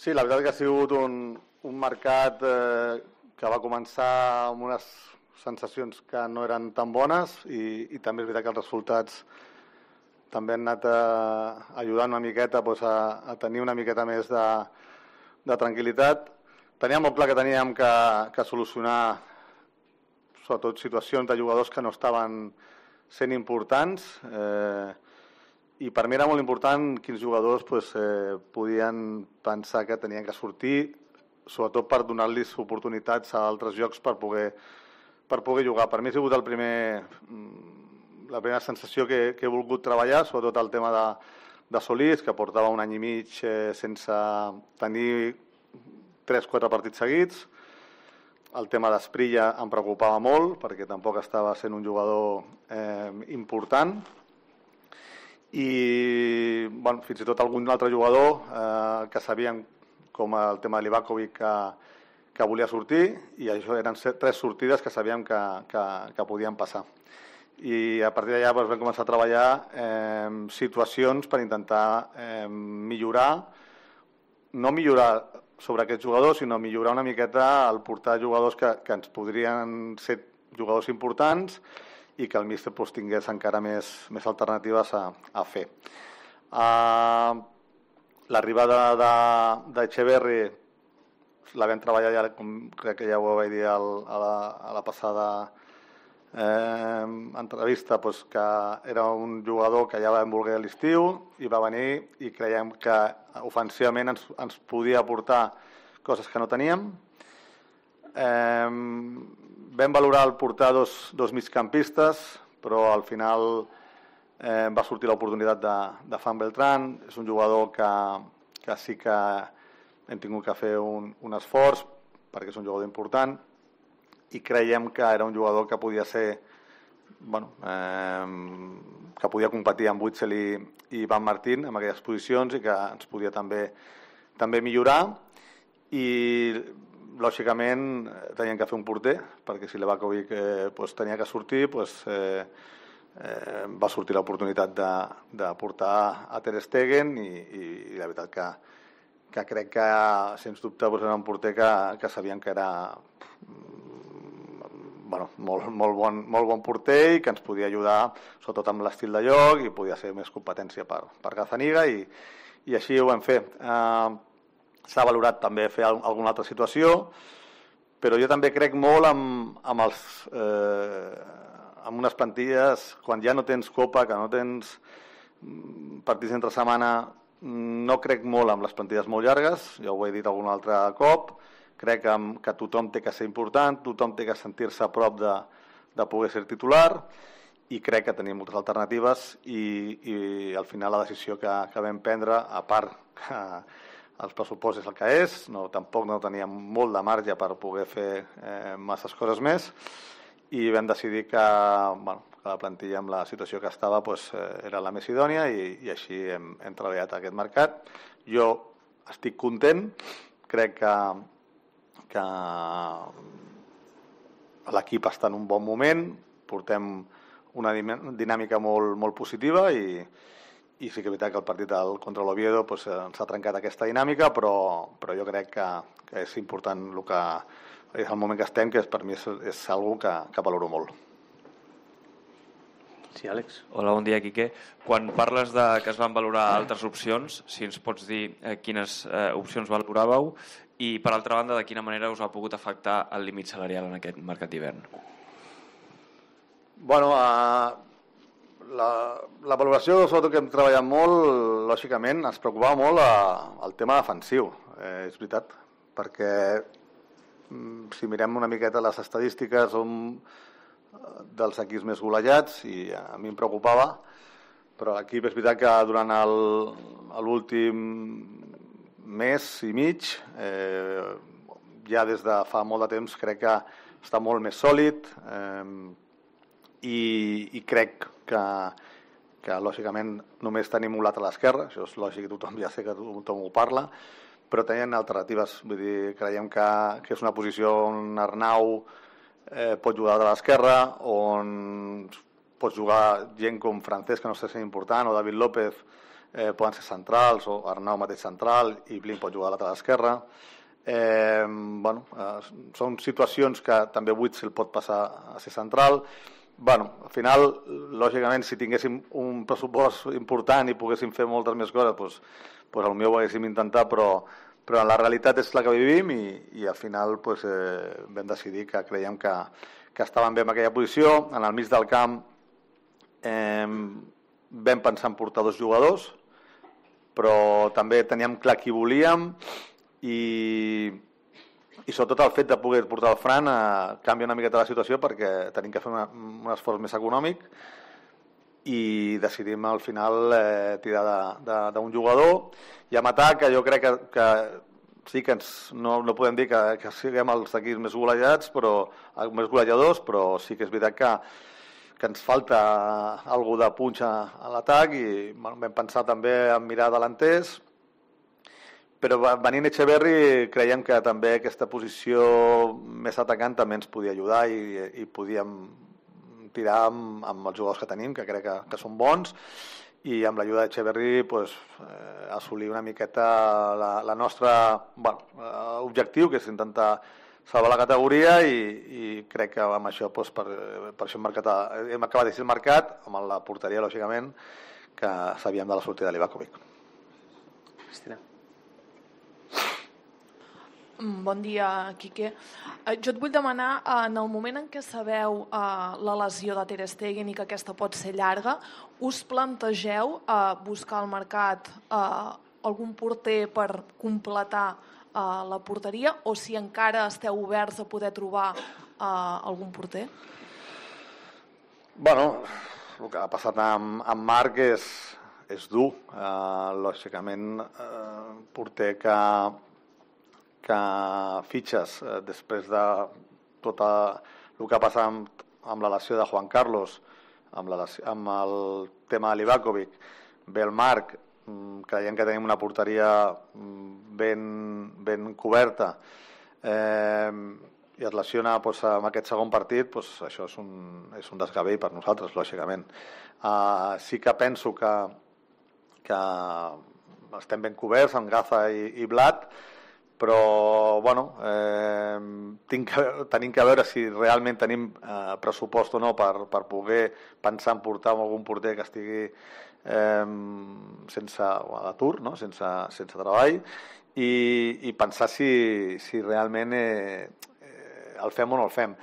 Sí, la veritat que ha sigut un mercat que va començar amb unes sensacions que no eren tan bones i també és veritat que els resultats també han anat ajudant una miqueta a tenir una miqueta més de tranquil·litat. Teníem molt clar que teníem que solucionar sobretot situacions de jugadors que no estaven sent importants i per mi era molt important quins jugadors podien pensar que tenien que sortir, sobretot per donar-los oportunitats a altres jocs per poder jugar. Per mi ha sigut la primera sensació que he volgut treballar, sobretot el tema de Solís, que portava un any i mig sense tenir 3-4 partits seguits. El tema d'Esprilla em preocupava molt perquè tampoc estava sent un jugador important i fins i tot algun altre jugador que sabíem, com el tema de Livakovic, que volia sortir, i això eren 3 sortides que sabíem que podien passar. I a partir d'allà vam començar a treballar situacions per intentar no millorar sobre aquests jugadors, sinó millorar una miqueta el portar jugadors que ens podrien ser jugadors importants i que el míster tingués encara més alternatives a fer. L'arribada d'Echeverri la vam treballar ja, crec que ja ho vaig dir a la passada entrevista, que era un jugador que ja vam voler a l'estiu i va venir i creiem que ofensivament ens podia aportar coses que no teníem. Vam valorar el portar dos migcampistes, però al final va sortir l'oportunitat de Fan Beltrán. És un jugador que sí que hem tingut que fer un esforç perquè és un jugador important i creiem que era un jugador que podia ser que podia competir amb Witsel i Van Martín en aquelles posicions i que ens podia també millorar. I lògicament tenien que fer un porter, perquè si Livakovic tenia que sortir, va sortir l'oportunitat de portar a Ter Stegen i la veritat que crec que sens dubte era un porter que sabíem que era molt bon porter i que ens podia ajudar sobretot amb l'estil de joc i podia ser més competència per Gazzaniga i així ho vam fer. S'ha valorat també fer alguna altra situació, però jo també crec molt amb unes plantilles, quan ja no tens Copa, que no tens partits entre setmana, no crec molt amb les plantilles molt llargues, ja ho he dit algun altre cop. Crec que tothom té que ser important, tothom té que sentir-se a prop de poder ser titular i crec que tenim moltes alternatives i al final la decisió que vam prendre, a part que el pressupost és el que és, tampoc no teníem molt de marge per poder fer masses coses més i vam decidir que la plantilla amb la situació que estava era la més idònia i així hem treballat aquest mercat. Jo estic content, crec que l'equip està en un bon moment, portem una dinàmica molt positiva i sí que és veritat que el partit contra l'Oviedo ens ha trencat aquesta dinàmica, però jo crec que és important és el moment que estem, que per mi és algo que valoro molt. Sí, Àlex. Hola, bon dia, Quique. Quan parles que es van valorar altres opcions, si ens pots dir quines opcions valoràveu i, per altra banda, de quina manera us ha pogut afectar el límit salarial en aquest mercat d'hivern? La valoració, sobretot que hem treballat molt, lògicament, ens preocupava molt el tema defensiu, és veritat, perquè si mirem una miqueta les estadístiques som dels equips més golejats i a mi em preocupava, però l'equip és veritat que durant l'últim mes i mig, ja des de fa molt de temps crec que està molt més sòlid i crec que lògicament només tenim un lateral esquerre, això és lògic, tothom ja sé que tothom ho parla, però tenien alternatives, vull dir, creiem que és una posició on Arnau pot jugar de l'esquerra, on pot jugar gent com Francesc, que no està sent important, o David López, poden ser centrals, o Arnau mateix central, i Blin pot jugar a lateral esquerra. Són situacions que també Witsel pot passar a ser central. Al final, lògicament, si tinguéssim un pressupost important i poguéssim fer moltes més coses, doncs potser ho haguéssim intentat, però la realitat és la que vivim i al final vam decidir que creiem que estàvem bé en aquella posició. En el mig del camp vam pensar en portar 2 jugadors, però també teníem clar qui volíem i sobretot el fet de poder portar el Fran canvia una miqueta la situació perquè tenim que fer un esforç més econòmic i decidim al final tirar d'un jugador. I a matar, que jo crec que sí que no podem dir que siguem els equips més golejats, més golejadors, però sí que és veritat que ens falta algú de punxa a l'atac i vam pensar també en mirar delanters. Però venint Echeverri creiem que també aquesta posició més atacant també ens podia ajudar i podíem tirar amb els jugadors que tenim, que crec que són bons, i amb l'ajuda d'Echeverri assolir una miqueta la nostra objectiu, que és intentar salvar la categoria, i crec que amb això per això hem acabat de ser el mercat, amb la porteria, lògicament, que sabíem de la sortida de Livakovic. Cristina. Bon dia, Quique. Jo et vull demanar, en el moment en què sabeu la lesió de Ter Stegen i que aquesta pot ser llarga, us plantegeu buscar al mercat algun porter per completar la porteria, o si encara esteu oberts a poder trobar algun porter? El que ha passat amb Marc és dur. Lògicament, porter que fitxes després de tot el que ha passat amb la lesió de Juan Carlos, amb el tema de Livakovic, ve el Marc, creiem que tenim una porteria ben coberta, i es lesiona en aquest segon partit, això és un desgavell per nosaltres, lògicament. Sí que penso que estem ben coberts amb Gaza i Blat, però tenim que veure si realment tenim pressupost o no per poder pensar en portar algun porter que estigui sense atur, sense treball, i pensar si realment el fem o no el fem.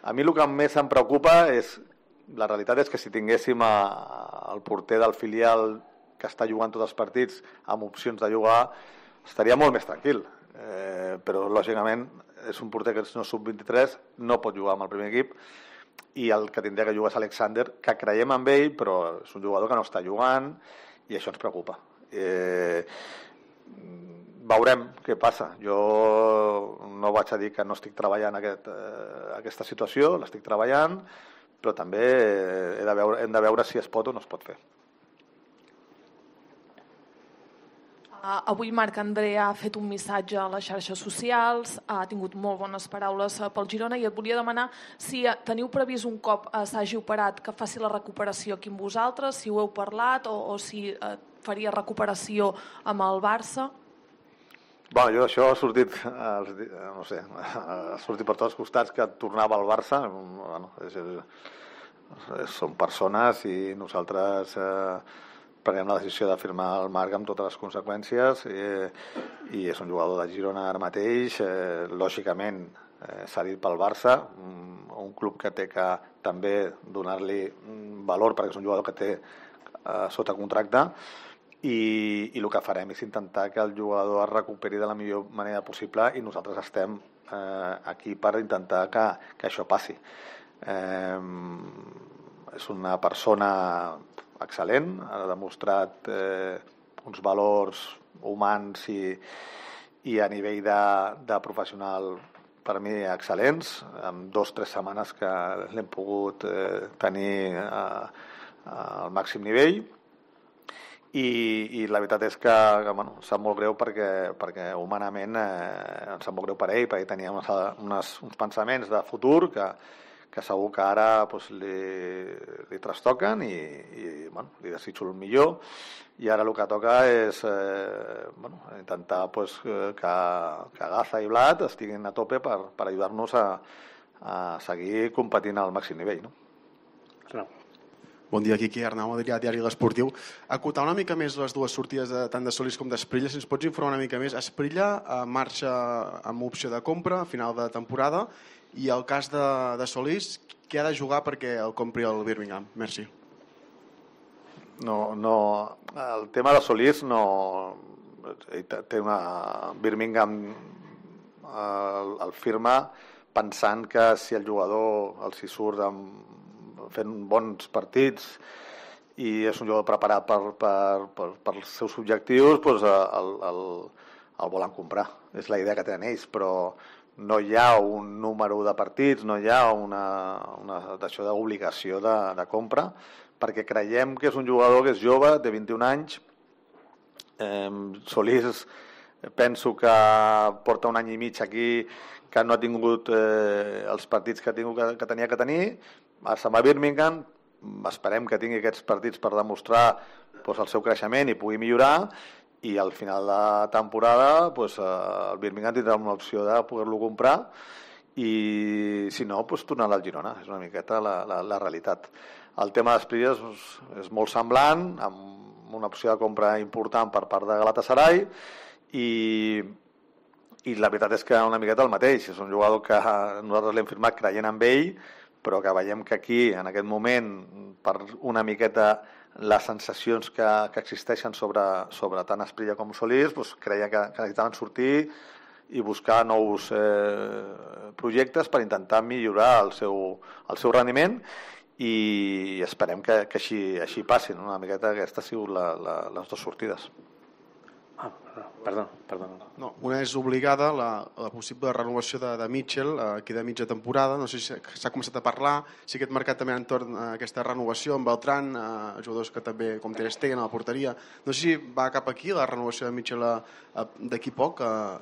A mi el que més em preocupa la realitat és que si tinguéssim el porter del filial que està jugant tots els partits amb opcions de jugar, estaria molt més tranquil. Però lògicament és un porter que no és sub-23, no pot jugar amb el primer equip, i el que tindria que jugar és Alexander, que creiem en ell, però és un jugador que no està jugant i això ens preocupa. Veurem què passa. Jo no vaig a dir que no estic treballant aquesta situació, l'estic treballant, però també hem de veure si es pot o no es pot fer. Avui Marc André ha fet un missatge a les xarxes socials, ha tingut molt bones paraules pel Girona, i et volia demanar si teniu previst un cop s'hagi operat que faci la recuperació aquí amb vosaltres, si ho heu parlat o si faria recuperació amb el Barça. Jo això ha sortit, no sé, ha sortit per tots els costats que tornava al Barça. Són persones i nosaltres prenem la decisió de firmar el Marc amb totes les conseqüències, i és un jugador de Girona ara mateix, lògicament cedit pel Barça, un club que té que també donar-li valor perquè és un jugador que té sota contracte, i el que farem és intentar que el jugador es recuperi de la millor manera possible, i nosaltres estem aquí per intentar que això passi. És una persona excel·lent, ha demostrat uns valors humans i a nivell de professional per mi excel·lents, en 2 o 3 setmanes que l'hem pogut tenir al màxim nivell, i la veritat és que em sap molt greu perquè humanament em sap molt greu per ell, perquè tenia uns pensaments de futur que que segur que ara doncs, li trastoquen i bueno, li desitjo el millor, i ara el que toca és bueno, intentar doncs, que Gaza i Blat estiguin a tope per ajudar-nos a seguir competint al màxim nivell, no? Bon dia, Quiqui, Arnau Adrià, Diari L'Esportiu. Acotar una mica més les dues sortides tant de Solís com d'Esprilla, si ens pots informar una mica més. Esprilla marxa amb opció de compra a final de temporada, i el cas de Solís, què ha de jugar perquè el compri el Birmingham? Merci. No, el tema de Solís no... Té una... Birmingham el firma pensant que si el jugador els hi surt fent bons partits i és un jugador preparat per els seus objectius, doncs el volen comprar. És la idea que tenen ells, però no hi ha un número de partits, no hi ha una d'obligació de compra, perquè creiem que és un jugador que és jove, de 21 anys. Solís penso que porta un any i mig aquí, que no ha tingut els partits que tenia que tenir. Se'n va a Birmingham, esperem que tingui aquests partits per demostrar el seu creixement i pugui millorar, i al final de temporada el Birmingham tindrà una opció de poder-lo comprar, i si no, tornarà al Girona. És una miqueta la realitat. El tema d'Esprilla és molt semblant, amb una opció de compra important per part de Galatasaray, i la veritat és que una miqueta el mateix. És un jugador que nosaltres l'hem firmat creient en ell, però que veiem que aquí, en aquest moment, per una miqueta les sensacions que existeixen sobre tant Esprilla com Solís, creia que necessitaven sortir i buscar nous projectes per intentar millorar el seu rendiment, i esperem que així passin. Una miqueta aquesta ha sigut les dues sortides. Perdó. No, una és obligada, la possible renovació de Mitchell aquí de mitja temporada. No sé si s'ha començat a parlar, si aquest mercat també entorn a aquesta renovació amb Beltrán, jugadors que també, com Ter Stegen a la porteria. No sé si va cap aquí la renovació de Mitchell d'aquí poc,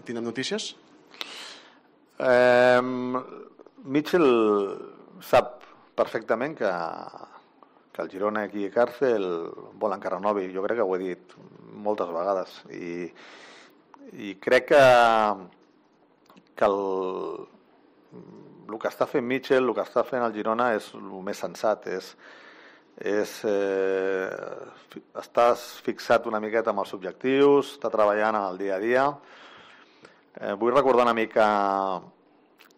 tindrem notícies? Mitchell sap perfectament que el Girona aquí a Càrcel volen que renovi. Jo crec que ho he dit moltes vegades, i crec que el que està fent Mitchell, el que està fent el Girona és el més sensat, estàs fixat una miqueta amb els objectius, està treballant en el dia a dia. Vull recordar una mica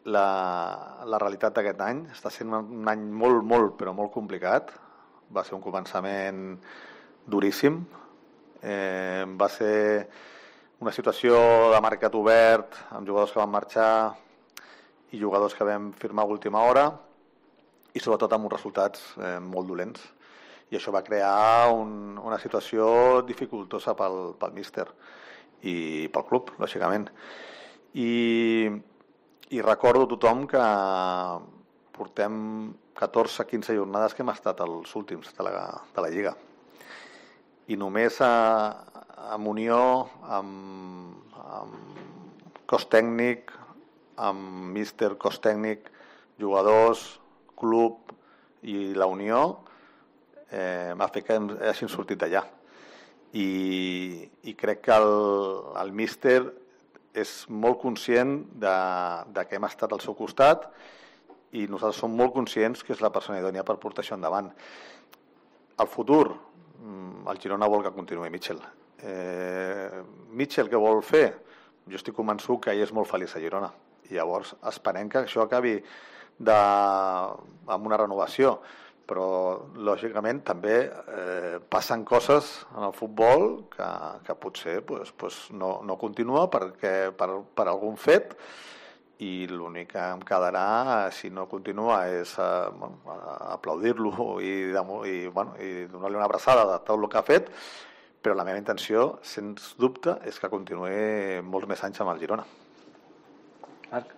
la realitat d'aquest any. Està sent un any molt, molt, però molt complicat. Va ser un començament duríssim. Va ser una situació de mercat obert, amb jugadors que van marxar i jugadors que vam firmar a última hora, i sobretot amb uns resultats molt dolents. I això va crear una situació dificultosa pel míster i pel club, lògicament. I recordo a tothom que portem 14-15 jornades que hem estat els últims de la Lliga. I només amb unió, amb cos tècnic, amb míster, cos tècnic, jugadors, club i la unió, m'ha fet que hagin sortit d'allà. I crec que el míster és molt conscient de que hem estat al seu costat, i nosaltres som molt conscients que és la persona idònia per portar això endavant. El futur, el Girona vol que continuï Mitchell. Mitchell què vol fer? Jo estic convençut que ell és molt feliç a Girona, i llavors esperem que això acabi amb una renovació, però lògicament també passen coses en el futbol que potser no continua per algun fet, i l'únic que em quedarà, si no continua, és aplaudir-lo i donar-li una abraçada de tot el que ha fet, però la meva intenció, sens dubte, és que continuï molts més anys amb el Girona. Marc?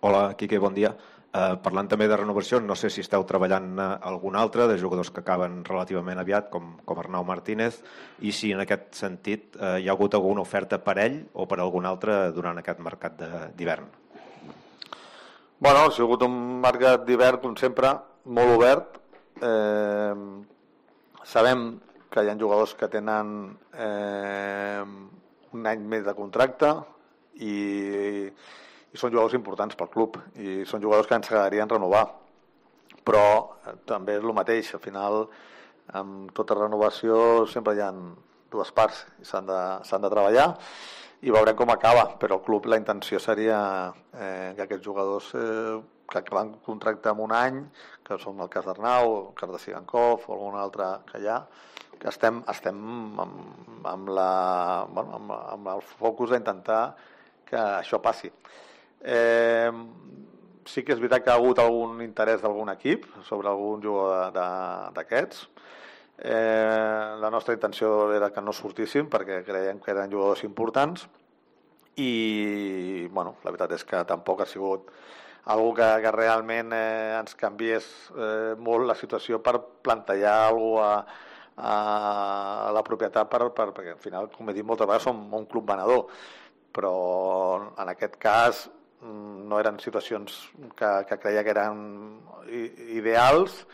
Hola, Quique, bon dia. Parlant també de renovació, no sé si esteu treballant algun altre de jugadors que acaben relativament aviat, com Arnau Martínez, i si en aquest sentit hi ha hagut alguna oferta per ell o per algun altre durant aquest mercat d'hivern. Bueno, ha sigut un mercat d'hivern, com sempre, molt obert. Sabem que hi ha jugadors que tenen un any més de contracte i són jugadors importants pel club i són jugadors que ens agradarien renovar. Però també és el mateix, al final, amb tota renovació sempre hi ha dues parts i s'han de treballar i veurem com acaba, però el club, la intenció seria que aquests jugadors que acaben contracte amb un any, que són el cas d'Arnau, el cas de Sigankov o algun altre que hi ha, que estem amb el focus d'intentar que això passi. Sí que és veritat que ha hagut algun interès d'algun equip sobre algun jugador d'aquests. La nostra intenció era que no sortissin perquè creiem que eren jugadors importants i la veritat és que tampoc ha sigut algú que realment ens canviés molt la situació per plantejar alguna cosa a la propietat perquè al final, com he dit moltes vegades, som un club venedor, però en aquest cas no eren situacions que creia que eren ideals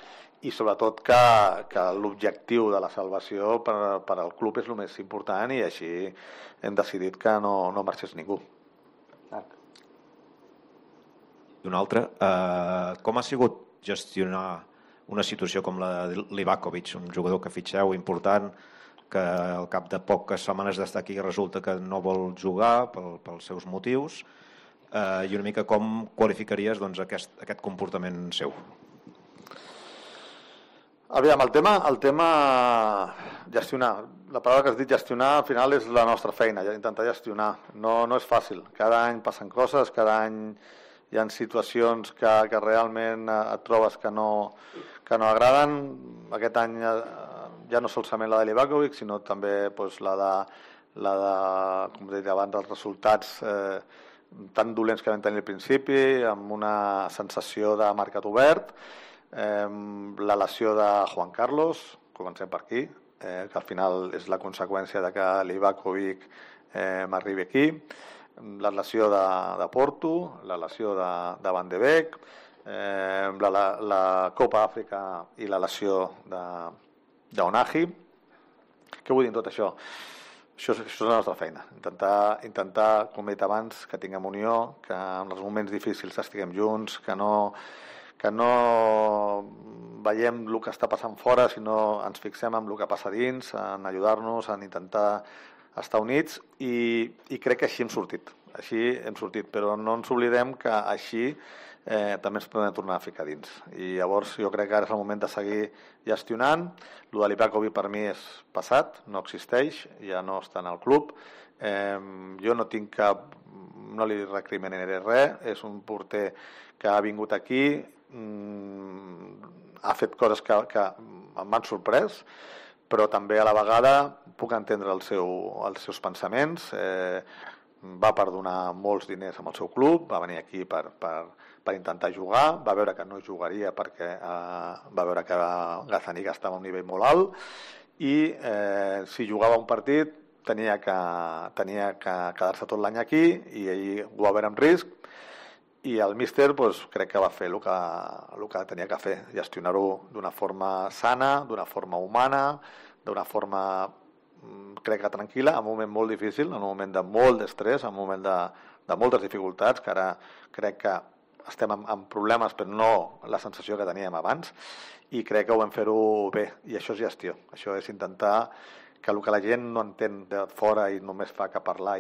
i sobretot que l'objectiu de la salvació per al club és el més important i així hem decidit que no marxés ningú. I una altra, com ha sigut gestionar una situació com la de Livakovic, un jugador que fitxeu important, que al cap de poques setmanes d'estar aquí resulta que no vol jugar pels seus motius, i una mica com qualificaries aquest comportament seu? Aviam, el tema gestionar, la paraula que has dit gestionar al final és la nostra feina, intentar gestionar, no és fàcil, cada any passen coses, cada any hi ha situacions que realment et trobes que no agraden. Aquest any ja no solament la de Livakovic, sinó també la de com he dit abans, els resultats tan dolents que vam tenir al principi, amb una sensació de mercat obert, la lesió de Juan Carlos, comencem per aquí, que al final és la conseqüència de que Livakovic m'arribi aquí, la lesió de Porto, la lesió de Van de Beek, la Copa Àfrica i la lesió d'Onahi. Què vull dir amb tot això? Això és la nostra feina, intentar, com he dit abans, que tinguem unió, que en els moments difícils estiguem junts, que no veiem el que està passant fora, sinó ens fixem en el que passa dins, en ajudar-nos, en intentar estar units i crec que així hem sortit, però no ens oblidem que així també ens podem tornar a ficar dins i llavors jo crec que ara és el moment de seguir gestionant. Lo de Livakovic per mi és passat, no existeix, ja no està en el club, jo no li recriminaré res, és un porter que ha vingut aquí, ha fet coses que m'han sorprès, però també a la vegada puc entendre els seus pensaments. Va perdonar molts diners amb el seu club, va venir aquí per intentar jugar, va veure que no jugaria perquè va veure que Gazzaniga estava a un nivell molt alt i si jugava un partit tenia que quedar-se tot l'any aquí i ell ho va veure en risc i el míster crec que va fer el que tenia que fer, gestionar-ho d'una forma sana, d'una forma humana, d'una forma crec que tranquil·la, en un moment molt difícil, en un moment de molt d'estrès, en un moment de moltes dificultats, que ara crec que estem amb problemes, però no la sensació que teníem abans, i crec que ho vam fer-ho bé, i això és gestió, això és intentar que el que la gent no entén de fora i només fa que parlar,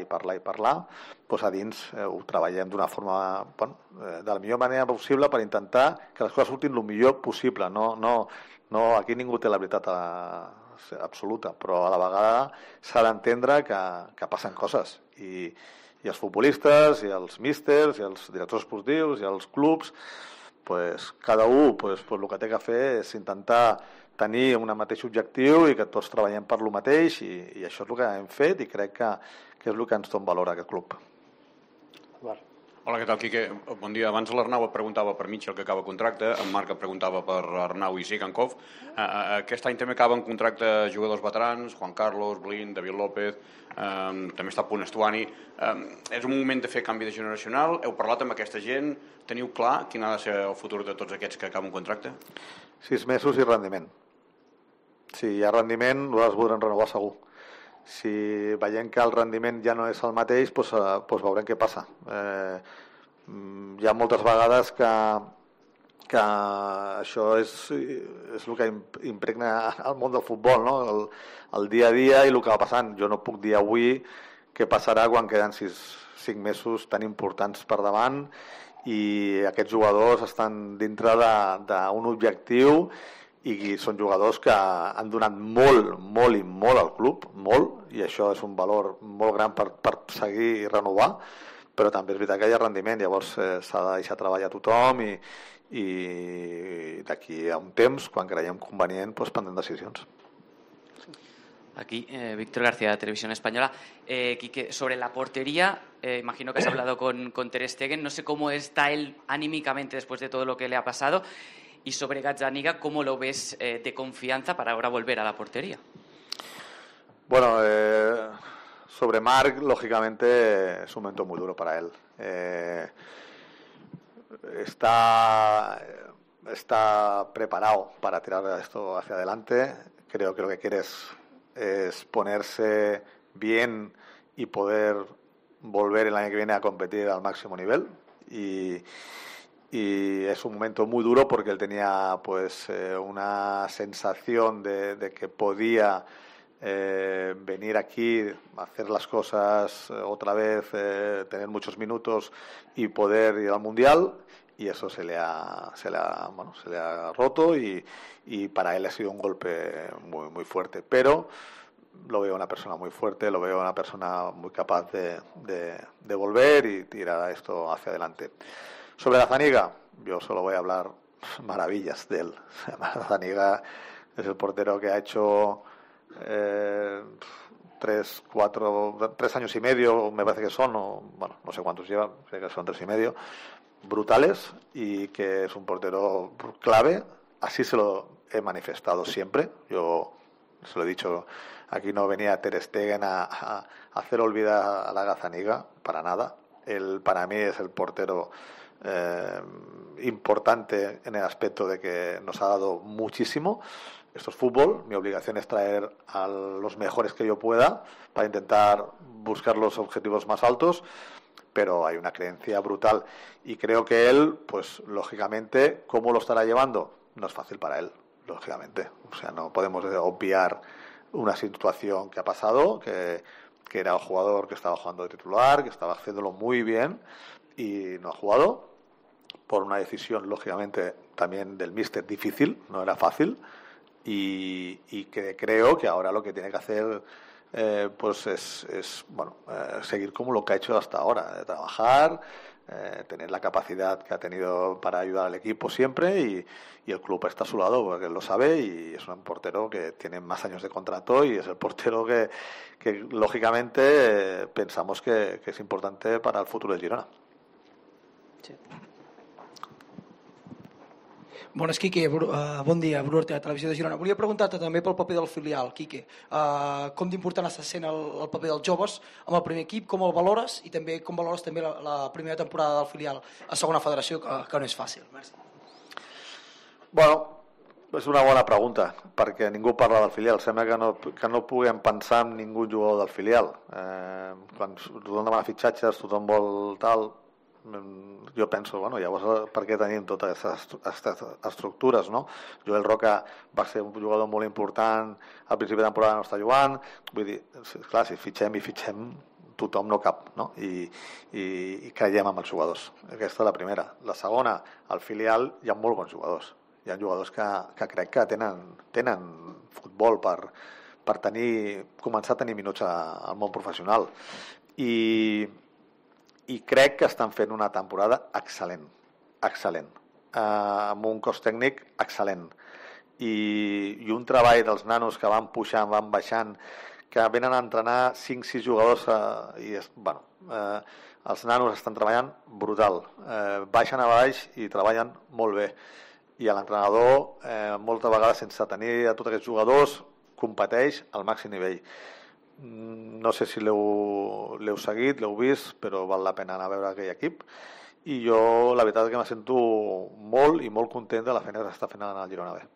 doncs a dins ho treballem d'una forma, de la millor manera possible per intentar que les coses surtin el millor possible. No, aquí ningú té la veritat absoluta, però a la vegada s'ha d'entendre que passen coses i els futbolistes, i els místers, i els directors esportius, i els clubs, cada un el que té que fer és intentar tenir un mateix objectiu i que tots treballem per lo mateix i això és el que hem fet i crec que és el que ens dona valor a aquest club. Hola, què tal, Quique? Bon dia. Abans l'Arnau et preguntava per Mitchell, que acaba contracte, en Marc et preguntava per Arnau i Sigankov. Aquest any també acaben contracte jugadors veterans, Juan Carlos, Blin, David López, també està a punt Estuani. És un moment de fer canvi de generacional? Heu parlat amb aquesta gent? Teniu clar quin ha de ser el futur de tots aquests que acaben contracte? 6 mesos i rendiment. Si hi ha rendiment, nosaltres voldrem renovar segur. Si veiem que el rendiment ja no és el mateix, doncs veurem què passa. Hi ha moltes vegades que això és el que impregna el món del futbol, no? El dia a dia i el que va passant. Jo no puc dir avui què passarà quan queden 5 mesos tan importants per davant i aquests jugadors estan dintre d'un objectiu i són jugadors que han donat molt i molt al club, molt, i això és un valor molt gran per seguir i renovar, però també és veritat que hi ha rendiment, llavors s'ha de deixar treballar tothom i d'aquí a un temps, quan creiem convenient, prendrem decisions. Aquí, Víctor García, Televisión Española. Quique, sobre la portería, imagino que has hablado con Ter Stegen, no sé cómo está él anímicamente después de todo lo que le ha pasado. Y sobre Gazzaniga, ¿cómo lo ves de confianza para ahora volver a la portería? Bueno, sobre Marc, lógicamente, es un momento muy duro para él. Está preparado para tirar esto hacia adelante. Creo que lo que quiere es ponerse bien y poder volver el año que viene a competir al máximo nivel. Y es un momento muy duro porque él tenía una sensación de que podía venir aquí, hacer las cosas otra vez, tener muchos minutos y poder ir al Mundial, y eso se le ha roto y para él ha sido un golpe muy fuerte, pero lo veo una persona muy fuerte, lo veo una persona muy capaz de volver y tirar esto hacia adelante. Sobre Gazzaniga, yo solo voy a hablar maravillas de él. Gazzaniga es el portero que ha hecho 3 años y medio, me parece que son, no sé cuántos lleva, creo que son 3 y medio, brutales, y que es un portero clave. Así se lo he manifestado siempre. Yo se lo he dicho, aquí no venía Ter Stegen a hacer olvidar a la Gazzaniga, para nada. Él, para mí, es el portero importante en el aspecto de que nos ha dado muchísimo. Esto es fútbol, mi obligación es traer a los mejores que yo pueda para intentar buscar los objetivos más altos, pero hay una creencia brutal y creo que él, pues lógicamente, ¿cómo lo estará llevando? No es fácil para él, lógicamente. O sea, no podemos obviar una situación que ha pasado, que era un jugador que estaba jugando de titular, que estaba haciéndolo muy bien y no ha jugado por una decisión, lógicamente, también del míster difícil, no era fácil, y que creo que ahora lo que tiene que hacer es seguir como lo que ha hecho hasta ahora, de trabajar, tener la capacidad que ha tenido para ayudar al equipo siempre, y el club está a su lado porque él lo sabe y es un portero que tiene más años de contrato y es el portero que lógicamente pensamos que es importante para el futuro de Girona. Sí. Bones, Quique, bon dia, Bruno Ortega, Televisió de Girona. Volia preguntar-te també pel paper del filial, Quique. Com d'important està sent el paper dels joves amb el primer equip, com el valores i també com valores també la primera temporada del filial a segona federació, que no és fàcil. Merci. Bueno, és una bona pregunta, perquè ningú parla del filial. Sembla que no puguem pensar en ningú jugador del filial. Quan tothom demana fitxatges, tothom vol tal... Jo penso, llavors per què tenim totes aquestes estructures, no? Joel Roca va ser un jugador molt important, al principi de temporada no està jugant, vull dir, clar, si fitxem tothom no cap, no? I creiem en els jugadors. Aquesta és la primera. La segona, al filial hi ha molt bons jugadors. Hi ha jugadors que crec que tenen futbol per començar a tenir minuts al món professional. I crec que estan fent una temporada excel·lent, amb un cos tècnic excel·lent i un treball dels nanos que van pujant, van baixant, que venen a entrenar 5-6 jugadors Els nanos estan treballant brutal, baixen a baix i treballen molt bé. I l'entrenador, moltes vegades, sense tenir a tots aquests jugadors, competeix al màxim nivell. No sé si l'heu seguit, l'heu vist, però val la pena anar a veure aquell equip. I jo, la veritat, és que me sento molt i molt content de la feina que està fent el Girona B.